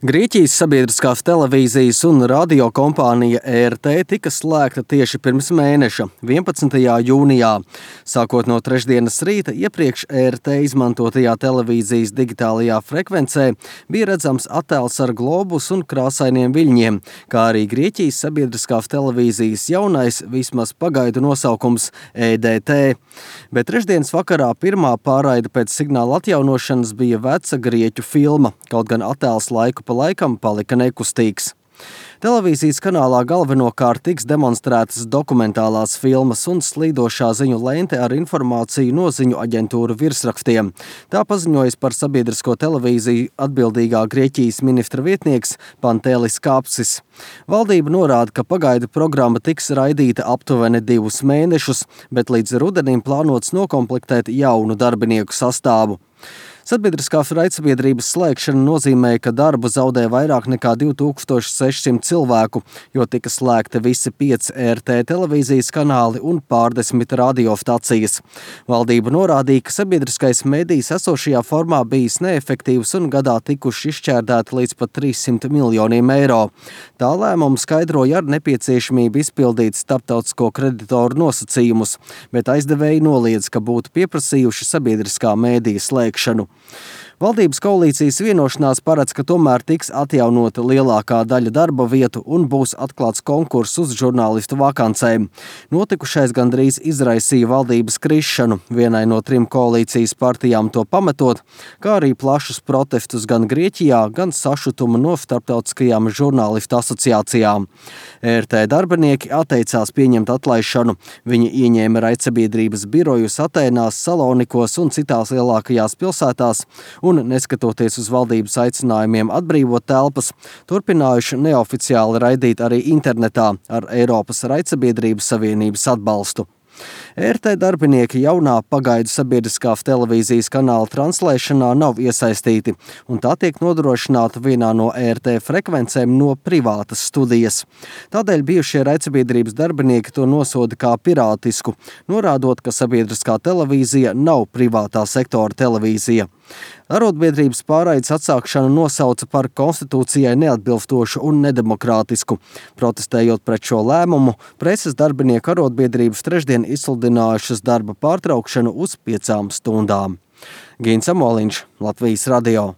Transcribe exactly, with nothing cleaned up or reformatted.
Grieķijas sabiedriskās televīzijas un radio kompānija E R T tika slēgta tieši pirms mēneša, vienpadsmitajā jūnijā. Sākot no trešdienas rīta, iepriekš E R T izmantotajā televīzijas digitālajā frekvencē bija redzams attēls ar globus un krāsainiem viļņiem, kā arī Grieķijas sabiedriskās televīzijas jaunais, vismaz pagaidu nosaukums E D T. Bet trešdienas vakarā pirmā pārraide pēc signāla atjaunošanas bija veca grieķu filma, kaut gan attēls laiku pa laikam palika nekustīgs. Televīzijas kanālā galvenokārt tiks demonstrētas dokumentālās filmas un slīdošā ziņu lente ar informāciju no ziņu aģentūru virsrakstiem. Tā paziņojas par sabiedrisko televīziju atbildīgā Grieķijas ministra vietnieks Pantēlis Kāpsis. Valdība norāda, ka pagaidu programma tiks raidīta aptuveni divus mēnešus, bet līdz rudenim plānots nokomplektēt jaunu darbinieku sastāvu. Sabiedriskās raidsabiedrības slēgšana nozīmē, ka darbu zaudē vairāk nekā divi tūkstoši sešsimt cilvēku, jo tika slēgti visi pieci E R T televīzijas kanāli un pārdesmit radiostacijas. Valdība norādīja, ka sabiedriskais medijs esošajā formā bijis neefektīvs un gadā tikuši izšķērdēti līdz pat trīssimt miljoniem eiro. Tā lēmumu skaidroja ar nepieciešamību izpildīt starptautisko kreditoru nosacījumus, bet aizdevēji noliedz, ka būtu pieprasījuši sabiedriskā medija slēgšanu. Valdības koalīcijas vienošanās paredz, ka tomēr tiks atjaunota lielākā daļa darba vietu un būs atklāts konkurss uz žurnālistu vakancēm. Notikušais gandrīz izraisīja valdības krišanu, vienai no trim koalīcijas partijām to pametot, kā arī plašus protestus gan Grieķijā, gan sašutumu no starptautiskajām žurnālistu asociācijām. E R T darbinieki atteicās pieņemt atlaišanu. Viņi ieņēma raidsabiedrības birojus Atēnās, Salonikos un citās lielākajās pilsētās, un, neskatoties uz valdības aicinājumiem atbrīvot telpas, turpinājuši neoficiāli raidīt arī internetā ar Eiropas raidsabiedrības savienības atbalstu. E R T darbinieki jaunā pagaidu sabiedriskās televīzijas kanāla translēšanā nav iesaistīti, un tā tiek nodrošināta vienā no E R T frekvencēm no privātas studijas. Tādēļ bijušie raidsabiedrības darbinieki to nosoda kā pirātisku, norādot, ka sabiedriskā televīzija nav privātā sektora televīzija. Arotbiedrības pārraides atsākšanu nosauca par konstitūcijai neatbilstošu un nedemokrātisku. Protestējot pret šo lēmumu, preses darbinieku arotbiedrības trešdien izsludinājušas darba pārtraukšanu uz piecām stundām. Gīns Amoliņš, Latvijas radio.